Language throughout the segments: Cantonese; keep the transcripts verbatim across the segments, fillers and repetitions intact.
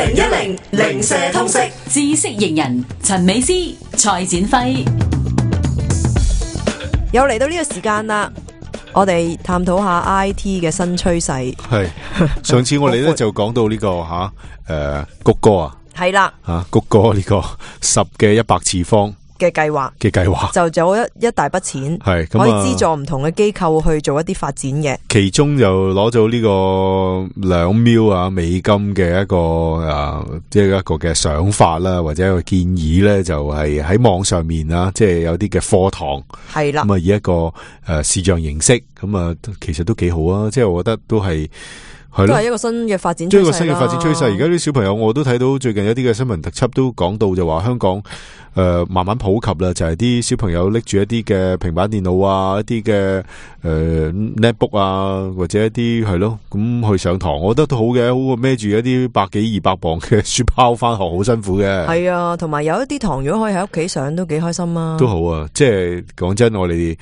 零一零零舍通識知識型人陳美詩、蔡展輝，又嚟到呢個時間啦，我哋探討下 I T 嘅新趨勢。係上次我哋咧就講到呢、這個吓誒谷歌啊，係啦吓谷歌呢個十嘅一百次方嘅計劃嘅計劃，就有一一大筆錢，係咁可以資助唔同嘅機構去做一啲發展嘅。其中就攞咗呢個兩秒啊美金嘅一個誒，即係一個嘅想法啦，或者一個建議咧，就係喺網上面啊，即係有啲嘅課堂係啦，咁啊以一個誒視像形式，咁啊其實都幾好啊，即係我覺得都係。係都係一個新嘅發展趨勢啦。即係一個新嘅發展趨勢。而家啲小朋友，我都睇到最近有啲嘅新聞特輯都講到，就話香港誒、呃、慢慢普及啦，就係、是、啲小朋友拎住一啲嘅平板電腦啊，一啲嘅誒 netbook 啊，或者一啲係咯，咁去上堂，我覺得都好嘅，好過孭住一啲百幾二百磅嘅書包翻學，好辛苦嘅。係啊，同埋有一啲堂如果可以喺屋企上，都幾開心啊。都好啊，即係講真，我哋。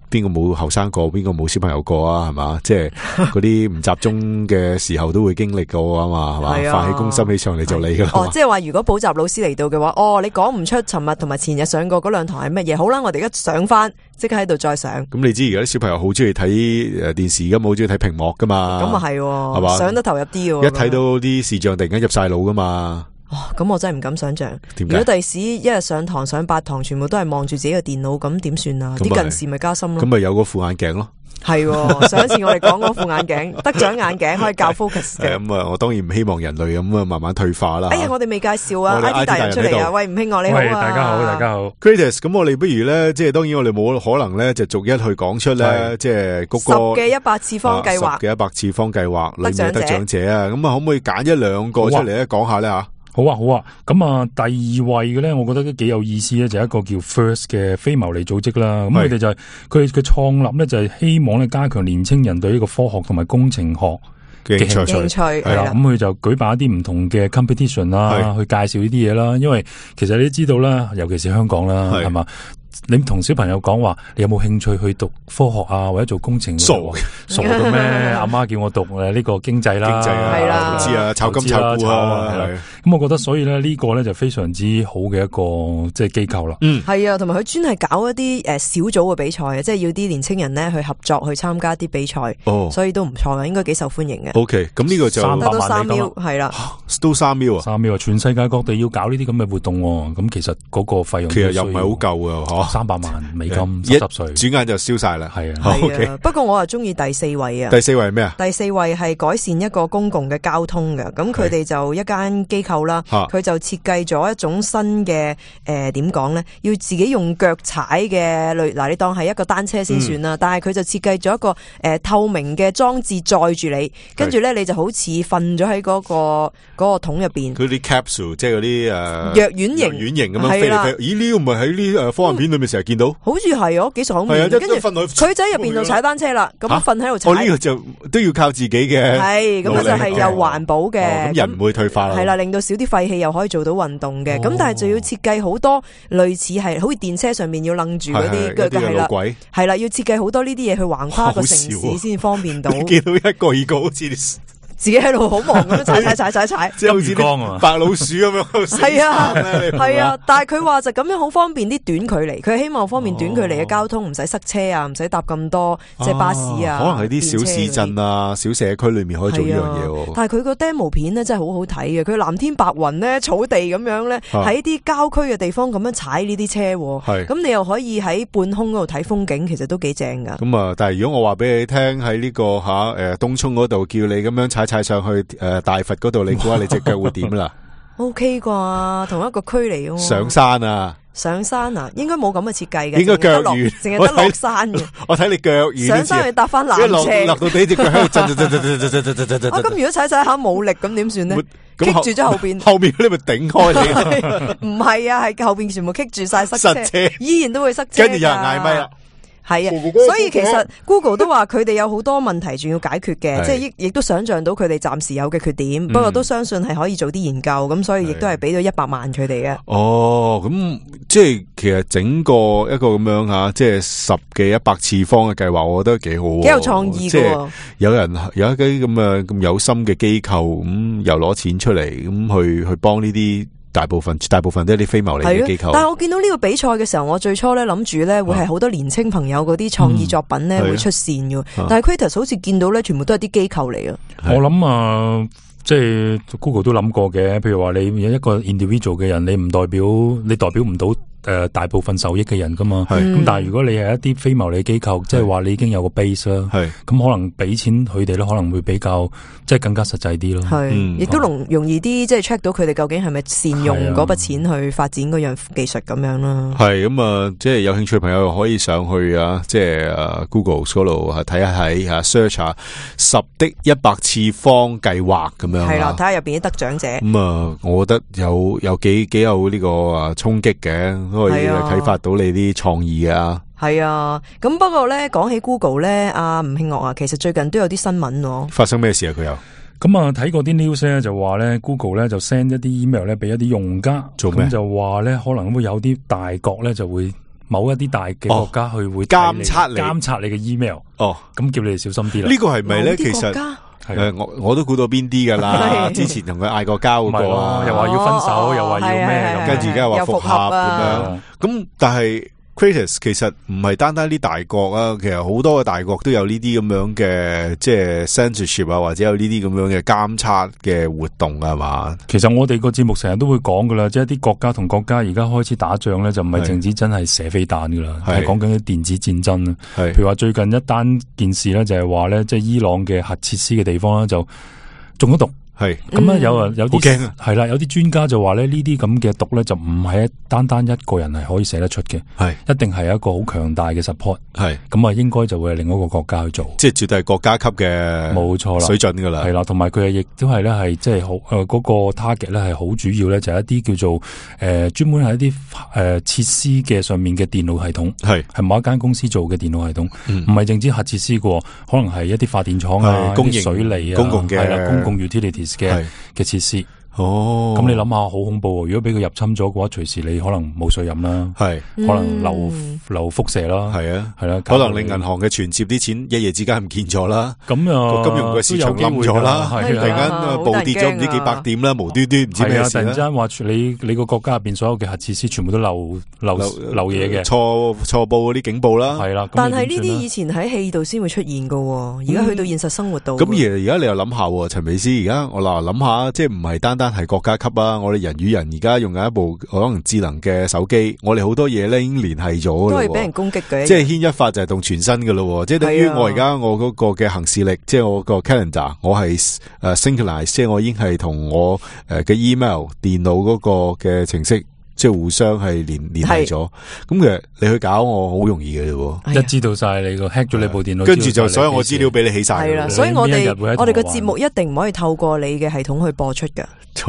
邊個冇後生過，邊個冇小朋友過啊？係嘛，即係嗰啲唔集中嘅時候都會經歷過啊嘛，係嘛，發起攻心起上嚟就你噶啦。哦，即係話如果補習老師嚟到嘅話，哦，你講唔出尋日同埋前日上過嗰兩堂係乜嘢？好啦，我哋而家上翻，即刻喺度再上。咁你知而家啲小朋友好中意睇誒電視，而家冇中意睇屏幕噶嘛？咁啊係，係嘛，上得投入啲嘅。一睇到啲視像突然間入晒腦噶嘛。哦，咁我真係唔敢想象。如果第時一日上堂上八堂，全部都係望住自己嘅電腦，咁點算啊？啲近視咪加深咯。咁咪有個副眼鏡咯。係，上一次我哋講嗰副眼鏡，得獎眼鏡可以教 focus 嘅。咁啊，我當然唔希望人類咁啊慢慢退化啦。哎呀，我哋未介紹啊 ，I T 大人出嚟啊！喂，吳興岳你好啊，大家好，大家好。Greatest， 咁我哋不如咧，即係當然我哋冇可能咧，就逐一去講出咧，即係谷歌十嘅一百次方計劃，十嘅一百次方計劃裏面得獎者啊！咁啊，可唔可以揀一兩個出嚟咧講下咧吓？好啊，好啊，咁啊，第二位嘅咧，我覺得都幾有意思咧，就係、一個叫 First 嘅非牟利組織啦。咁佢哋就係佢嘅創立咧，就係希望咧加強年青人對呢個科學同埋工程學嘅興趣。係啦，咁佢就舉辦一啲唔同嘅 competition 啦，去介紹呢啲嘢啦。因為其實你都知道啦，尤其是香港啦，係嘛。你同小朋友講話，你有冇興趣去讀科學啊，或者做工程？傻傻嘅咩？阿媽叫我讀誒呢個經濟啦，經濟啊，投資啊，炒金炒股啊，係。咁我覺得所以咧呢個咧就非常之好嘅一個即係機構啦。嗯，係啊，同埋佢專係搞一啲誒小組嘅比賽啊，即係要啲年青人咧去合作去參加啲比賽。哦，所以都唔錯嘅，應該幾受歡迎嘅。O K， 咁呢個就三百萬三秒係啦，都三秒啊，三秒啊，全世界各地要搞呢啲咁嘅活動，咁其實嗰個費用其實又唔係好夠啊，嗬。三百萬美金，十歲轉眼就燒晒啦。係啊，係啊。不過我啊中意第四位啊。第四位係咩啊？第四位係改善一個公共嘅交通嘅。咁佢哋就一間機構啦，佢就設計咗一種新嘅誒點講咧，要自己用腳踩嘅類嗱，你當係一個單車先算啦。嗯、但係佢就設計咗一個誒、呃、透明嘅裝置載住你，跟住咧你就好似瞓咗喺嗰個嗰、嗰個桶入邊。佢啲 capsule 即係嗰啲誒藥丸型，藥丸型咁樣飛嚟飛去。咦？呢個唔係喺啲誒科幻片裏面成日見到？好似係哦，幾爽面。跟住佢就喺入邊度踩單車啦，咁瞓喺度踩。我呢個就都要靠自己嘅。係，咁就係又環保嘅。咁人唔會退化啦。係啦，令到少啲廢氣，又可以做到運動嘅。咁但係就要設計好多類似係，好似電車上面要楞住嗰啲嘅係啦。係啦，要設計好多呢啲嘢去橫跨個城市先方便到。見到一個二個好似。自己喺度好忙咁踩踩踩踩踩，即係好似啲白老鼠咁樣。係啊，係啊，但係佢話就咁樣好方便啲短距離，佢希望方便短距離嘅交通，唔使塞車啊，唔使搭咁多即係巴士啊。可能喺啲小市鎮啊、小社區裏面可以做呢樣嘢。但係佢個 demo 片咧真係好好睇嘅，佢藍天白雲咧、草地咁樣咧，喺啲郊區嘅地方咁樣踩呢啲車，咁你又可以喺半空嗰度睇風景，其實都幾正噶。咁啊，但係如果我話俾你聽喺呢個吓誒東涌嗰度叫你咁樣踩踩上去誒大佛嗰度，你估下你隻腳會點啦？O K 啩，同一個區嚟嘅。上山啊！上山啊，應該冇咁嘅設計嘅，應該腳軟，淨係得落山嘅。我睇你腳軟，上山去搭翻纜車，落到地隻腳喺度震震震震震震震震震震。啊，咁如果踩踩下冇力，咁點算呢？棘住咗後邊，後邊你咪頂開你。唔係啊，係後邊全部棘住晒塞車，依然都會塞車。跟住有人嗌咪啦。係啊，所以其實 Google 都話佢哋有好多問題仲要解決嘅，即係亦亦都想象到佢哋暫時有嘅缺點，嗯、不過都相信係可以做啲研究，咁所以亦都係俾咗一百萬佢哋嘅。哦，咁即係其實整個一個咁樣吓，即係十幾一百次方嘅計劃，我覺得幾好，幾有創意嘅。即係有人有一啲咁嘅咁有心嘅機構，咁、嗯、又攞錢出嚟，咁去去幫呢啲。大部分大部分都係啲非牟利嘅機構，但係我見到呢個比賽嘅時候，我最初咧諗住咧會係好多年青朋友嗰啲創意作品咧、嗯、會出線嘅，啊、但係 Creators 好似見到咧全部都係啲機構嚟啊！我諗啊，即係 Google 都諗過嘅，譬如話你有一個 individual 嘅人，你唔代表你代表唔到。誒、呃，大部分受益嘅人噶嘛，咁、嗯、但係如果你係一啲非牟利機構，即係話你已經有個 base 啦，咁可能俾錢佢哋咧，可能會比較即係更加實際啲咯。係，亦、嗯、都容容易啲，即係 check 到佢哋究竟係咪善用嗰筆錢去發展嗰樣技術咁樣啦。係咁啊，即係有興趣嘅朋友可以上去啊，即係誒 Google 嗰度睇下睇吓 search 下十的一百次方計劃咁樣。係啦，睇下入邊啲得獎者。咁啊，我覺得有有幾幾有呢個啊衝擊嘅。可以啟發到你啲創意啊！係啊，咁不過咧，講起 Google 咧，阿吳慶岳啊，其實最近都有啲新聞喎。發生咩事啊？佢有咁啊，睇過啲 news 咧，就話咧 Google 咧就 send 一啲 email 咧俾一啲用家，做咩？咁就話咧可能會有啲大國咧就會某一啲大嘅國家去會監測你監察你嘅 email。哦，咁叫你哋小心啲啦。呢個係咪咧？其實誒，我我都估到邊啲噶啦。之前同佢嗌過交嗰個，又話要分手，又話要咩咁，跟住而家又話復合咁樣。咁但係 Creators 其實唔係單單啲大國啊，其實好多嘅大國都有呢啲咁樣嘅即係 censorship 啊，或者有呢啲咁樣嘅監測嘅活動啊嘛。其實我哋個節目成日都會講噶啦，即係啲國家同國家而家開始打仗咧，就唔係淨止真係射飛彈噶啦，係講緊啲電子戰爭啊。譬如話最近一單件事咧，就係話咧，即係伊朗嘅核設施嘅地方咧，就中咗毒。係咁啊！有啊，有啲驚啊，係啦，有啲專家就話咧，呢啲咁嘅毒咧，就唔係單單一個人係可以寫得出嘅，係一定係一個好強大嘅 support，係咁啊，應該就會係另一個國家去做，即係絕對係國家級嘅，冇錯啦，水準噶啦，係啦，同埋佢亦都係咧，係即係好誒，嗰個 target 咧係好主要咧，就係一啲叫做誒專門係一啲誒設施嘅上面嘅電腦系統，係係某一間公司做嘅電腦系統，唔係淨止核設施嘅，可能係一啲發電廠啊、公營水利啊、公共嘅係啦、公共 utilities。嘅嘅設施哦，咁你諗下好恐怖喎！如果俾佢入侵咗嘅話，隨時你可能冇水飲啦，係可能流流輻射啦，係啊，係啦，可能令銀行嘅存摺啲錢一夜之間唔見咗啦，咁啊，金融嘅市場冧咗啦，突然間暴跌咗唔知幾百點啦，無端端唔知咩事啦，突然間話你你個國家入邊所有嘅核設施全部都漏漏漏嘢嘅，錯錯報嗰啲警報啦，係啦。但係呢啲以前喺戲度先會出現噶，而家去到現實生活度。咁而而家你又諗下，陳美斯而家我嗱諗下，即係唔係單單係國家級啊？我哋人與人而家用緊一部可能智能嘅手機，我哋好多嘢咧已經聯繫咗，都係俾人攻擊嘅。即係牽一髮就係動全身噶咯，即係等於我而家我嗰個嘅行事曆，即係我個 calendar，我係誒 synchronize，即係我已經係同我誒嘅 email 電腦嗰個嘅程式。即係互相係連連繫咗，咁其實你去搞我好容易嘅啫，一知道晒你個 hack 咗你部電腦，跟住就所有我資料俾你起晒。係啦，所以我哋我哋個節目一定唔可以透過你嘅系統去播出㗎，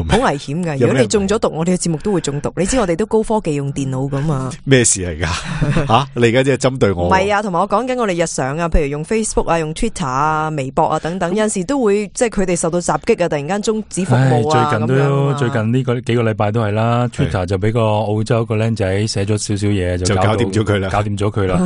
好危險㗎。如果你中咗毒，我哋嘅節目都會中毒。你知我哋都高科技用電腦㗎嘛？咩事嚟㗎？吓，你而家即係針對我？唔係啊，同埋我講緊我哋日常啊，譬如用 Facebook 啊、用 Twitter 啊、微博啊等等，有陣時都會即係佢哋受到襲擊啊，突然間終止服務啊。最近都最近呢個幾個禮拜都係啦 ，Twitter 就俾個澳洲個僆仔寫咗少少嘢就搞掂咗佢啦，搞掂咗佢啦。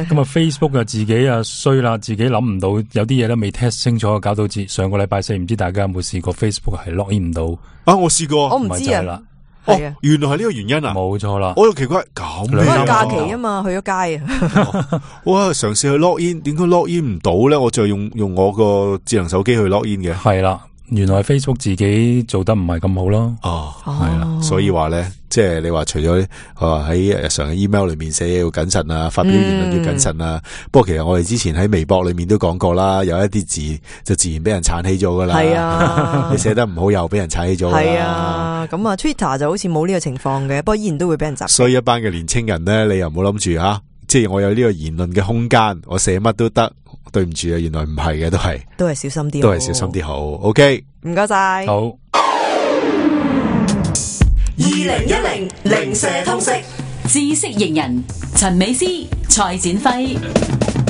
咁啊 Facebook 啊自己啊衰啦，自己諗唔到有啲嘢都未 test 清楚，搞到上個禮拜四唔知大家有冇試過 Facebook 係 login 唔到啊？我試過，我唔知啊。哦，原來係呢個原因啊！冇錯啦，我又奇怪咁樣。嗰個假期啊嘛，去咗街啊。哇，嘗試去 login，點解 login 唔到咧？我就用用我個智能手機去 login 嘅。係啦。原來 Facebook 自己做得唔係咁好咯，哦，係啦，所以話咧，即係你話除咗喺日常嘅 email 裏面寫嘢要謹慎啊，發表言論要謹慎啊。嗯、不過其實我哋之前喺微博裏面都講過啦，有一啲字就自然俾人鏟起咗噶啦。係啊，你寫得唔好又俾人鏟起咗。係啊，咁啊 Twitter 就好似冇呢個情況嘅，不過依然都會俾人襲擊。所以一班嘅年青人咧，你又唔好諗住吓，即係我有呢個言論嘅空間，我寫乜都得。對唔住啊，原來唔係嘅，都係都係小心啲，都係小心啲好。OK，唔該晒。好。二零一零零舍通識知識型人陳美詩、蔡展輝。